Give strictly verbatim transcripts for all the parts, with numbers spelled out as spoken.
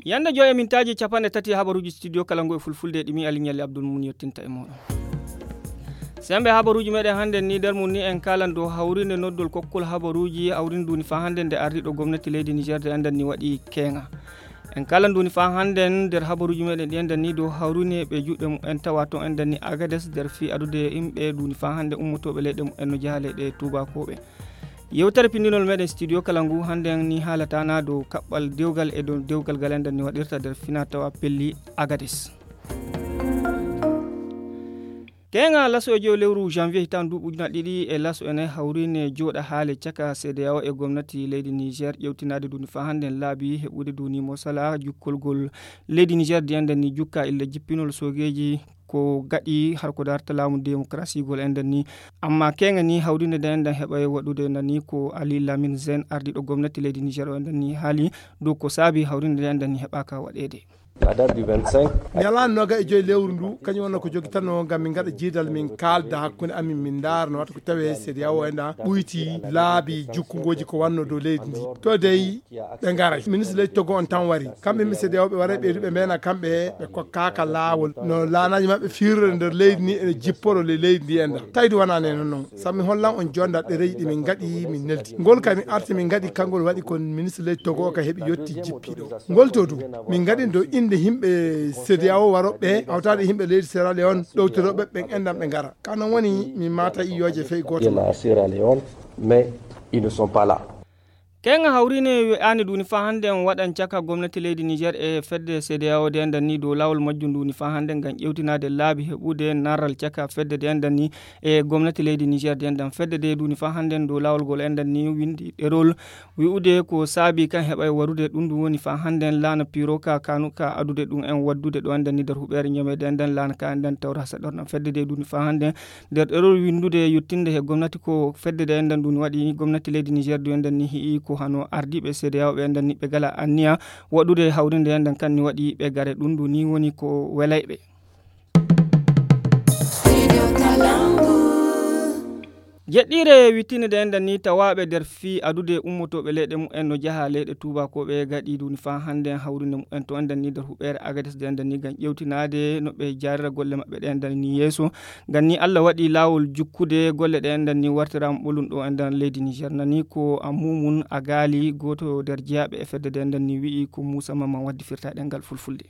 Yande joy e mintaaji capanɗe tati habaruuji studio kala ngu e fulfulde e ɗimi Aliŋali Abdul Mun yettinta e mooɗon. Sembe habaruuji meɗen hannden ni nder mum ni en kaalan dow hawrinde noddol kokkol habaruuji hawrinde nduni faa hannden nde ardiiɗo gomnati leydi Niger de enɗan ni waɗi keeŋa. En kaalan nduni faa hannden nder habaruuji meɗen ɗi enɗan ni dow hawrine ɓe juuɗe mum en tawa toon enɗan ni Agades nder fii adude yimɓe nduni faa hannden ummotooɓe leyɗe mum en no jaha leyɗe tuubakooɓe. Yewtere pinndinol meɗen studio kala ngu hannden ni haalata na dow kaɓɓal dewgal e dow dewgal ngal enɗan ni waɗirta nder fina tawa pelli Agades. Keeŋa laso e jow lewru janvier hitaan duuɓi ujunaaji ɗiɗi e laso ene hawrine jooɗa haale caka C D A O e gomnati leydi Niger ƴewtinaade nduni faa hannden laabi heɓude nduni mosala jukkolgol leydi Niger di enɗan ni jukka illa jippinol soogeeji ko gaɗi har ko darta laamu démocratie gol enɗan ni. Amma keeŋa ni hawrinde nde enɗan heɓa e waɗude enɗan ni ko Ali Lamine Zen ardiiɗo gomnati leydi Niger o enɗan ni haali dow ko saabi hawrinde nde enɗan ni heɓaaka waɗeede. Ñalaande noogaas e joy lewru ndu kañum wonno ko jogitanno ngam min ngaɗa jiidal min kaalda hakkunde amin min ndaara no wata ko tawee C D A O enɗan ɓuyti laabi jukkungooji ko wanno dow leydi ndi. To dey ɓe ngaray ministre leydi Togo on tan wari kamɓe yimɓe C D A O ɓe waray ɓeydu ɓe mbeena kamɓe ɓe kokkaaka laawol no laanaaji maɓɓe fiirore nder leydi ni ene jipporo le leydi ndi enɗan tawdi wonaa nde non non. Sabu mi hollan on jonda ɗereeji ɗi min ngaɗi min neldi ngol ka min arti min ngaɗi kangol waɗi kon ministre leydi Togo o ka heɓi yetti jippiiɗo ngol to du min ngaɗi dow innde yimɓe C D A O warooɓe hawtaade yimɓe leydi Sierra Leone ɗowtirooɓe ɓen enɗan ɓe ngara ka non woni min maata iyooje fey gooto. Keeŋa hawrine wi'aani nduni faa hannden waɗan caka gomnati leydi Niger e fedde C D A O de enɗan ni dow laawol majjum nduni faa hannden ngam ƴewtinaade laabi heɓude narral caka fedde de enɗan ni e gomnati leydi Niger de enɗan fedde de nduni faa hannden dow laawol ngol enɗan ni winndi ɗerol wi'ude ko saabi kan heɓa e warude ɗum ɗum woni faa hannden laana piiro ka kanu ka adude ɗum en waddude ɗo enɗan ni nder huɓeere ñameede enɗan laana ka enɗan tawra hasa ɗorɗan fedde de nduni faa hannden nder ɗerol winndude yettinde he gomnati ko fedde de enɗan ɗum waɗi gomnati leydi Niger du enɗan ni hi'i ko hano ardiiɓe C D A O ɓe enɗan ni ɓe gala anniya waɗude hawrinde enɗan kan ni waɗi ɓe gare ɗum ɗum ni woni ko welayɓe. Jeɗɗiire wittinde de enɗan ni tawaaɓe nder fii adude ummotooɓe leyɗe mum en no jaha leyɗe tuubakooɓe gaɗi ɗum faa hannden hawrinde mum en to enɗan ni nder huɓeere Agades de enɗan ni ngam ƴewtinaade no ɓe jaarira golle maɓɓe ɗe enɗan ni yeeso. Ngam ni Allah waɗi laawol jukkude golle ɗe enɗan ni wartiraama ɓolum ɗo enɗan leydi Niger nani ko a mumum a gaali gooto nder jeyaaɓe e fedde de enɗan ni wi'i ko Muusa Mamman waddi firta ɗemngal fulfulde.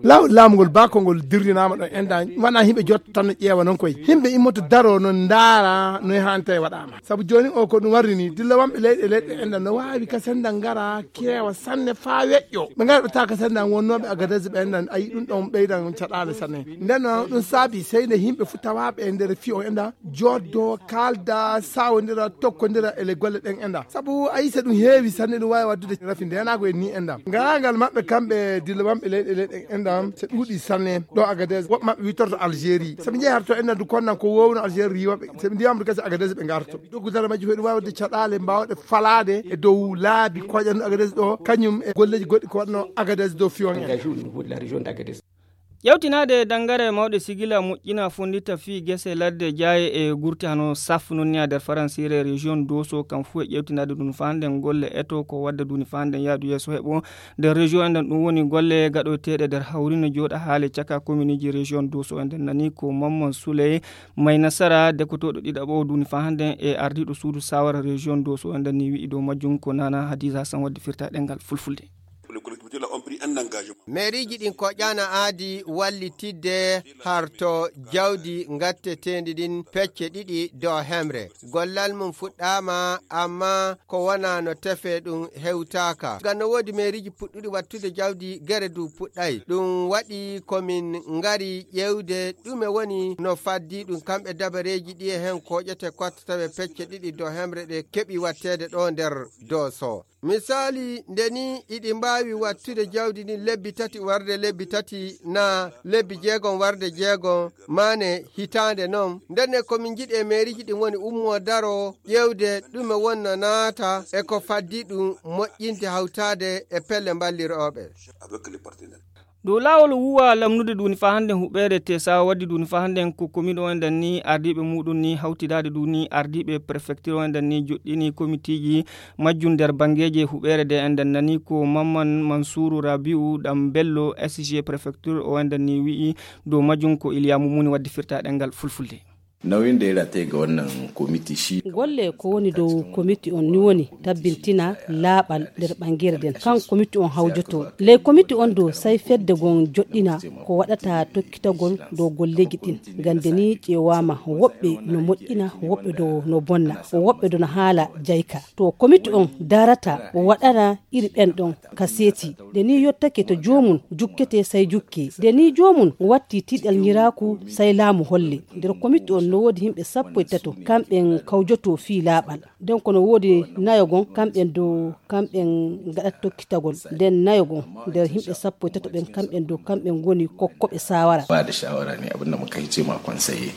Laawol laamu ngol baako ngol dirrinaama ɗo enɗan wona yimɓe jottanno ƴeewa noon koye yimɓe immoto daro no ndaara no hanta e waɗaama sabu jooni o ko ɗum warri ni dilla wonɓe leyɗe leyɗe enɗan no waawi ka sennda ngara keewa sanne faa weƴƴo ɓe ngara ɓe tawa ka sennda wonnooɓe Agadez ɓe enɗan ayi ɗum ɗon ɓeydan caɗaale sanne nden noon ɗum saabi sey nde yimɓe fuu tawaaɓe e nder fii on enɗan jooddoo kaalda saawondira tokkondira e le golle ɗen enɗan sabu ayi so ɗum heewi sanne ɗum waawi waɗdude rafi ndeenaagu e ni enɗan ngarangal maɓɓe kamɓe dilla wonɓe leyɗe leyɗe enɗan so ɗuuɗi sanne ɗo Agadez woɓɓe maɓɓe witorto Algérie so ɓe njehi harto enɗan du konnan ko wowno Algérie riiwaɓe so ɓe ndiyamdu gasi Agadez ɓe ngarto doggudara majji fof ɗum waawde caɗaale mbaawɗe falaade e dow laabi koƴanno Agadez ɗo kañum e golleeji goɗɗi ko waɗno Agadez dow fiyon en. Ƴewtinaade e danngare mawɗe sigila moƴƴina fonndita fii gese ladde jaaye e gurti hano saf non ni a nder faransiire région doso kam fuu e ƴewtinaade ɗum faa nden golle eto ko wadda duni faa nden yaadu yeeso heɓo nder région enɗan ɗum woni golle gaɗoyteeɗe nder hawrino jooɗa haale caka kominiiji région doso enɗan nani ko mamman souley may nasara dekotooɗo ɗiɗaɓo duni faa nden e ardiiɗo suudu sawara région doso enɗan ni wi'i dow majjum ko nana hadiza hassan waddi firta ɗemngal fulfulde. Meeriiji ɗin koƴaana aadi wallitidde harto jawdi ngatteteendi ɗin pecce ɗiɗi dow hemre. Gollal mum fuɗɗaama, amma ko wonaa no tefee ɗum hewtaaka. Ngam no woodi meeriiji puɗɗuɗi wattude jawdi, gere du puɗɗay. Ɗum waɗi ko min ngari ƴeewde ɗume woni no faddii ɗum, kamɓe dabareeji ɗi e heen kooƴete kotta tawe pecce ɗiɗi dow hemre ɗe keɓi watteede ɗo nder Dooso. Misaali, nde nii iɗi mbaawi wattude jawdi ndin lebbi tati warde lebbi tati, naa lebbi jeegom warde jeegom, maane hitaande non. Ndenne ko min njiɗi e meeriiji ɗin woni ummoo daroo ƴeewde ɗume wonnoo naata e ko faddii ɗum moƴƴinde hawtaade e pelle mballirooɓe. Dow laawol wuwa lamnude duni faa hannden huɓeere tesa waddi duni faa hannden ko komin o enɗan ni ardiiɓe muuɗum ni hawtidaade duni ardiiɓe prefektir o enɗan ni joɗɗini komitiiji majjum nder banngeeje huɓeere de enɗan nani ko mamman mansuuru rabi'u ɗam bello sg prefektir o enɗan ni wi'i dow majjum ko iliya mumuni waddi firta ɗemngal fulfulde. Nauyin da ya rataye ga wannan kwamiti shi. Golle ko woni dow komiti on ni woni tabbintina laaɓal nder ɓangere nden kan komiti on hawjoto. Ley komiti on dow sai fedde gon joɗɗina ko waɗata tokkitagol dow golleji ɗin. Gande ni ƴeewaama woɓɓe no moƴƴina, woɓɓe dow no bonna, woɓɓe dow no haala jayka. To komiti on darata o waɗana iri ɓen ɗon ka seeti. Nde ni yottake to joomum jukkete sai jukke. Nde ni joomum watti tiɗal ñiraaku sai laamu holle. Nder komiti on no woodi himɓe sappo e tato kamɓen kawjoto fii laaɓal. Nden kono woodi nayo gon kamɓen dow kamɓen ngaɗat tokkitagol. Nden nayo gon nder himɓe sappo e tato ɓen kamɓen dow kamɓen ngoni kokkoɓe saawara. Ba da shawara ne abin da muka yi ce ma konseye.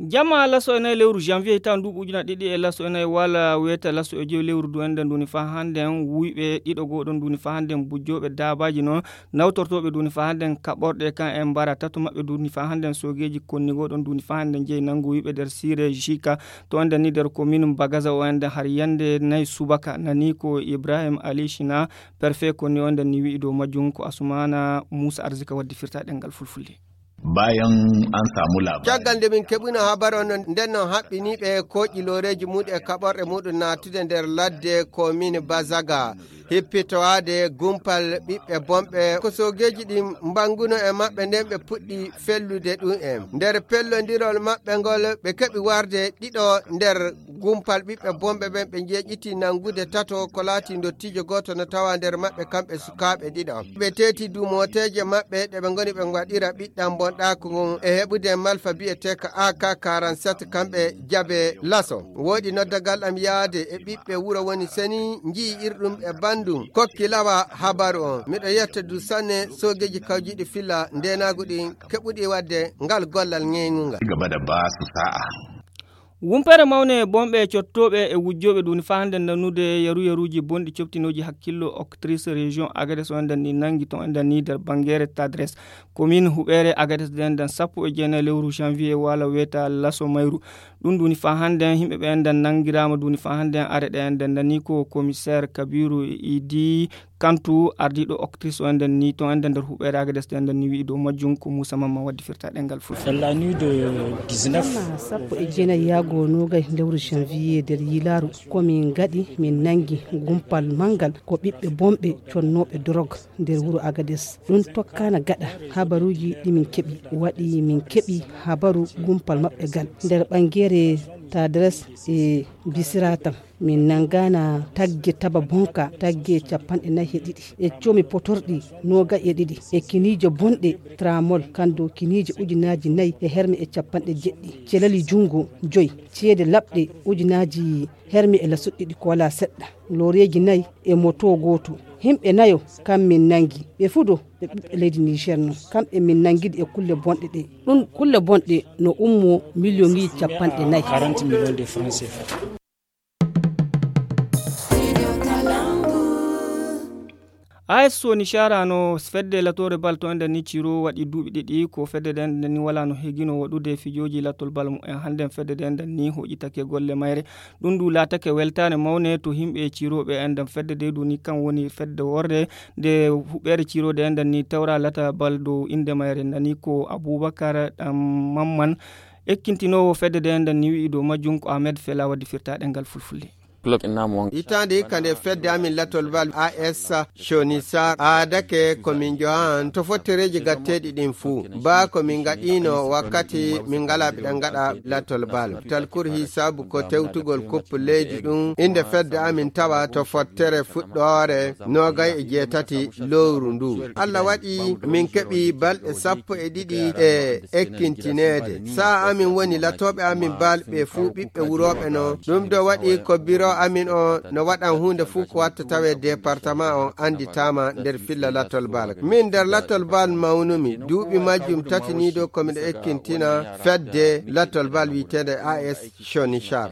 Jama laso e nayi lewru janvier hitaande nduuɓu ujuna ɗiɗi e laso e nayi wala weeta laso e joyi lewru du enɗan duni faa hannden wuyɓe ɗiɗo goo ɗon duni faa hannden bujjooɓe daabaaji noon nawtortooɓe duni faa hannden kaɓorɗe kan e mbara tato maɓɓe duni faa hannden soogeeji konni goo ɗon duni faa hannden jeyi nanngu wuyɓe nder siire jika to enɗan ni nder komin bagaza o enɗan har yannde nayi subaka nani ko ibrahim ali shina perfe konni o enɗan ni wi'i dow majjum ko asumana muusa arzika waddi firta ɗemngal fulfulde. Bayan an samu labari. Caggal nde min keɓuno habaru on nden non haɓɓiniiɓe kooƴi looreeji muuɗum e kaɓorɗe muuɗum naatude nder ladde komini bazaga hippitowaade gumpal ɓiɓɓe bonɓe ko soogeeji ɗin mbanguno e maɓɓe nden ɓe puɗɗi fellude ɗum en nder pellondirol maɓɓe ngol ɓe keɓi warde ɗiɗo nder gumpal ɓiɓɓe bonɓe ɓen ɓe njeeƴiti nangude tato ko laati ndottiijo gooto no tawa nder maɓɓe kamɓe sukaaɓe ɗiɗo ɓe teeti duumooteeje maɓɓe ɗe ɓe ngoni ɓe waɗira ɓiɗɗam bonɗaaku ngun e heɓude malfa biyeteeka ak quarante-sept kamɓe jabe laso woodi noddagal am yaade e ɓiɓɓe wuro woni seni njii irɗum e bandum kokki lawa habaru on miɗo yetta du sanne soogeeji kawjiiɗi filla ndeenaagu ɗin keɓuɗi waɗde ngal gollal ŋeeŋungal. Gaba da ba su sa'a. Wumpere mawne bonɓe cottooɓe e wujjooɓe ɗum faa hannde nanude yaru yaruuji bonɗi coftinooji hakkillo octrice région agades o enɗan ni nanngi ton enɗan ni nder banngeere tadres commune huɓeere agades de enɗan sappo e jeenayi lewru janvier wala weeta laso mayru ɗum ɗuni faa hannde yimɓe ɓe enɗan nanngiraama ɗuni faa hannde are ɗe enɗan nani ko commissaire kabiru idi kantu ardiiɗo octrice o enɗan ni ton enɗan nder huɓeere agades de enɗan ni wi'i dow majjum ko moussa mamma waddi firta ɗengal fulfulde. Dans la nuit de dix-neuf. Jamma sappo e jeenayi yaago noogay lewru janvier nder yilaaru ko min ngaɗi min nanngi gumpal manngal ko ɓiɓɓe bonɓe connooɓe dorog nder wuro agades ɗum tokkaana gaɗa habaruuji ɗi min keɓi waɗi min keɓi habaru gumpal maɓɓe gal nder ɓanngeere tadres e bisiratam min nanngaana tagge taba bonka tagge capanɗe nayi e ɗiɗi e coomi potorɗi noogay e ɗiɗi e kiniije bonɗe tramol kandu kiniije ujunaaji nayi e herme e capanɗe jeɗɗi celali junngo joyi ceede laɓɗe ujunaaji herme e lasuɗɗi ɗi ko walaa seɗɗa looreeji nayi e moto gooto yimɓe nayo kam min nanngi ɓe fuu ɗo ɓe ɓiɓɓe leydi niger non kamɓe min nanngiɗi e kulle bonɗe ɗe ɗum kulle bonɗe no ummo million ŋiji capanɗe nayi. A S Soni Chara no fedde latoore bal to enden ni Ciro waɗi duuɓi ɗiɗi ko fedde ɗen nden ni wala no hegino waɗude fijooji latol bal mumen hannden fedde ɗen nden ni hoƴitake golle mayre ɗum du laatake weltaare mawne to himɓe Ciro ɓe enden fedde de du ni kan woni fedde worde nde huɓɓere Ciro de enden ni tawra lata bal dow innde mayre nani ko Abubakar ɗam mamman ekkintinoowo fedde de enden ni wi'i dow majjum ko Ahmed Fela waddi firta ɗengal fulfulde. Hitaande hikka nde fedde amin latol bal A S Shonisar aadake ko min johan to fottereeji gatteeɗi ɗin fuu baa ko min ngaɗiino wakkati min ngalaa ɓiɗa ngaɗa latol bal talkur hisaabu ko tewtugol kuppu leydi ɗum innde fedde amin tawa to fottere fuɗɗoore noogay e jeetati lowru ndu Allah waɗi min keɓi balɗe sappo e ɗiɗi e ekkintineede sa'a amin woni latooɓe amin bal ɓe fuu ɓiɓɓe wurooɓe no ɗum do waɗi ko biro amin o no waɗan huunde fuu ko watta tawe département on annditaama nder filla latol bal min nder latol bal mawnumi duuɓi majjum tati ni do komiɗo ekkintina fedde latol bal wiyeteende A S Shonichar.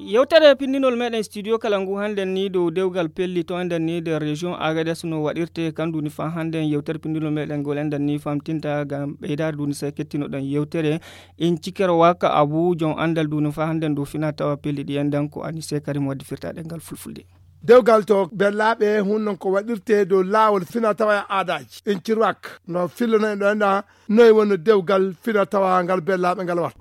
Yewtere pinndinol meɗen studio kala ngu hannden ni dow dewgal pelli to enɗen ni nder région Agadez no waɗirte kan duni fa hannden yewtere pinndinol meɗen ngol enɗen ni famtinta ngam ɓeydaade duni sey kettinoɗen yewtere. In cikere waka abu jon anndal duni fa hannden dow fina tawa pelli ɗi enɗen ko ani sey karim waddi firtaɗe ngal fulfulde. Dewgal to bellaaɓe hun non ko waɗirte dow laawol fina tawa e aadaaji in cirwak no fillono en ɗo enɗa. Noy wonno dewgal fina tawa ngal bellaaɓe ngal watta.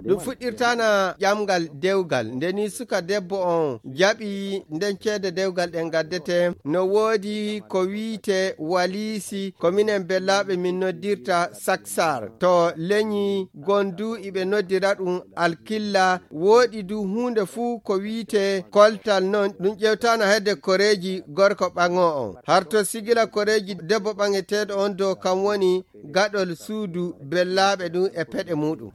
Ɗum fuɗɗirtana ƴamgal dewgal nde ni suka debbo on jaɓi nden ceede dewgal ɗen gaddete no woodi ko wiite waliisi ko minen bellaaɓe min noddirta saksar to leñi gondu iɓe noddira ɗum alkilla woɗi du huunde fuu ko wiite koltal non ɗum ƴewtana hedde koreeji gorko ɓaŋo on harto sigila koreeji debbo ɓaŋeteeɗo on dow kam woni gaɗol suudu bellaaɓe ɗum e peɗe muɗum.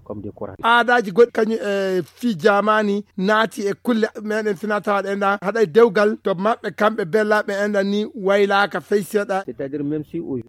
Aadaaji goɗɗi kañum e fii jaamaani naati e kulle meɗen finatawaɗe enɗa haɗay dewgal to maɓɓe kamɓe bellaaɓe enɗa ni waylaaka fey seeɗa.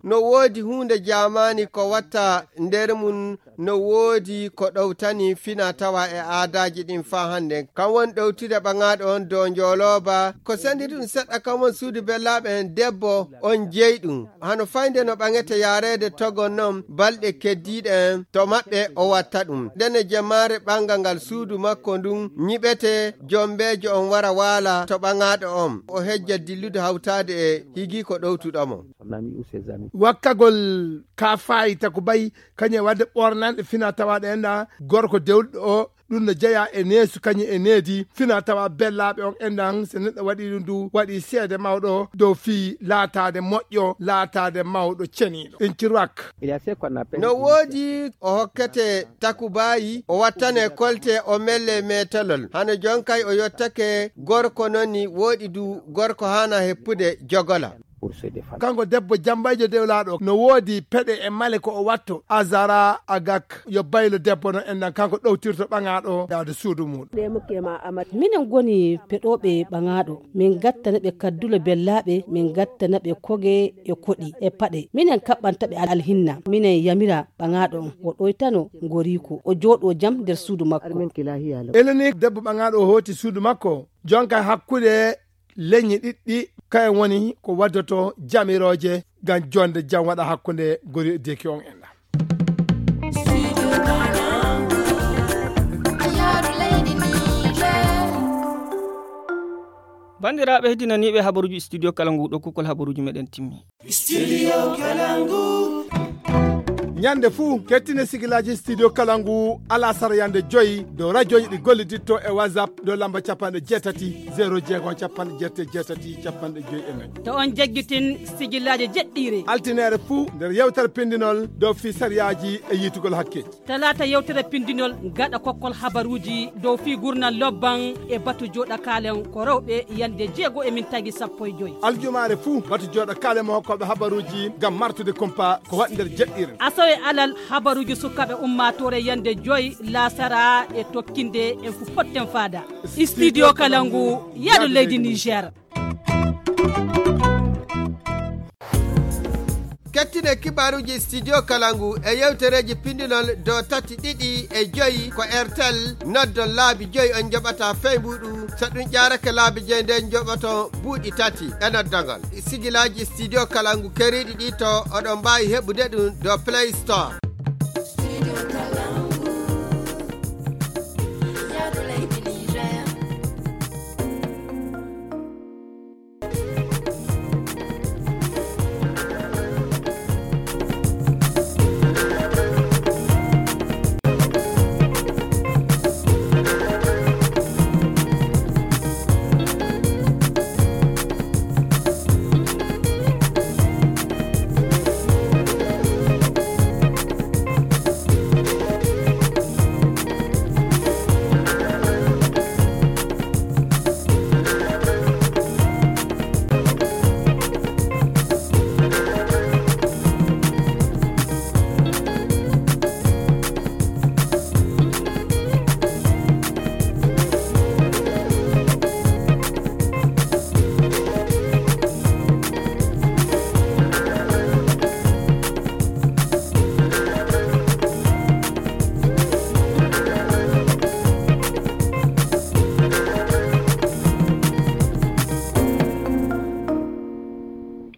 No woodi huunde jaamaani ko watta nder mum no woodi ko ɗowtani fina tawa e aadaaji ɗin faa hannden kam won ɗowtude ɓaŋaaɗo on dow njoolooba ko senditi ɗum seɗɗa kam won suudu bellaaɓe en debbo on jeyi ɗum hano faynde no ɓaŋete yaareede togo non balɗe keddiiɗe en to maɓɓe o watta ɗum ndene jemmaare ɓaŋga ngal suudu makko ndun ñiɓete jombeejo on wara waala to ɓaŋaaɗo on o hejja dillude hawtaade e higii ko ɗowtuɗo mo. Wakkagol ka faayi taku bayi kañum e waɗde ɓornanɗe fina tawaɗe enɗa gorko dewɗo o ɗum no jeya e neesu kañum e needi fina tawa bellaaɓe on enɗan so neɗɗo waɗi ɗum du waɗi seede mawɗo dow fii laataade moƴƴo laataade mawɗo ceniiɗo in cirwak. No woodi o hokkete takubayi o wattane kolte o melle metelol hano jonkay o yottake gorko non ni woɗi du gorko hana heppude jogola. Kanko debbo jambayjo dewlaaɗo no woodi peɗe e male ko o watto azara agak yo baylo debbo no enɗan kanko ɗowtirto ɓaŋaaɗo yaade suudu muɗum. Minen ngoni peɗooɓe ɓaŋaaɗo min gattana ɓe kaddule bellaaɓe min gattana ɓe koge e koɗi e paɗe minen kaɓɓanta ɓe alhinna minen yamira ɓaŋaaɗo on o ɗoytano ngoriiko o jooɗo jam nder suudu makko. Eleni debbo ɓaŋaaɗo o hooti suudu makko jonka hakkunde leñi ɗiɗɗi kayen woni ko waddoto jamirooje ngam jonde jam waɗa hakkunde gori e deki on enɗa. Banndiraaɓe heddinaniiɓe habaruuji studio kala ngu ɗo kukkol habaruuji meɗen timmi. Studio Kalangu. Ñande fuu kettine sigilaaji studio kala ngu alasara yande joyi dow rajooji ɗi golliditto e whatsapp dow lamba capanɗe jeetati zéro jeegom capanɗe jeetati jeetati capanɗe joyi e nayi. To on jeggitin sigilaaji jeɗɗiire altineere fuu nder yewtere pindinol dow fii sariyaaji e yiitugol hakkeeji. Talaata yewtere pindinol gaɗa kokkol habaruuji dow fii gurnal lobban e batu jooɗakaalen ko rewɓe yande jeego e min tagi sappo e joyi. Aljumaare fuu batu jooɗakaale mo hokkooɓe habaruuji ngam martude kumpa ko waɗi nder jeɗɗiren. Asawe alal habaruuji sukaaɓe ummaatoore yande joyi laasara e tokkinde en fu potten faada. Studio kala ngu yaɗo leydi Niger. Kettine kibaaruuji studio kala ngu e yewtereeji pindinol do tati ɗiɗi e joyi ko airtel noddon laabi joyi on njoɓata fey mbuɗu so ɗum ƴaarake laabi joyi nden njoɓoton buuɗi tati e noddongol sigilaaji studio kala ngu keriiɗi ɗi to oɗon mbaawi heɓude ɗum do play store.